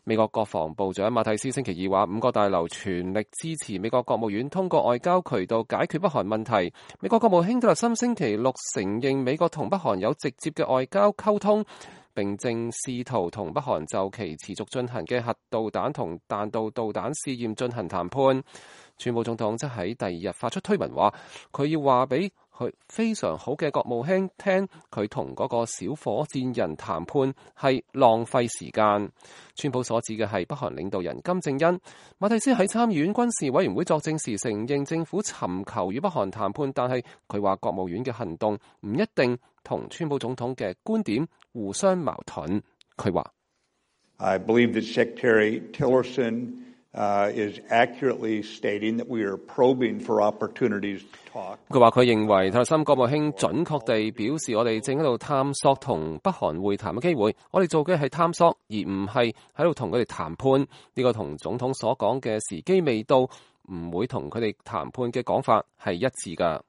美國國防部長馬蒂斯星期二話，五角大樓全力支持美國國務院通過外交渠道解決北韓問題。美國國務卿蒂勒森星期六承認美國同北韓有直接嘅外交溝通，並正試圖同北韓就其持續進行嘅核導彈同彈道導彈試驗進行談判。川普總統則喺第二日發出推文話，佢要話俾佢非常好嘅國務卿聽，佢同嗰個小火箭人談判係浪費時間。川普所指嘅係北韓領導人金正恩。馬蒂斯喺參議院軍事委員會作證時承認政府尋求與北韓談判，但係佢話國務院嘅行動唔一定同川普總統嘅觀點互相矛盾。佢話I believe that Secretary Tillerson is accurately stating that we are probing for opportunities to talk. 佢話佢認為蒂勒森國務卿準確地表示，我哋正喺度探索同北韓會談嘅機會。我哋做嘅係探索，而唔係喺度同佢哋談判。呢個同總統所講嘅時機未到，唔會同佢哋談判嘅講法係一致㗎。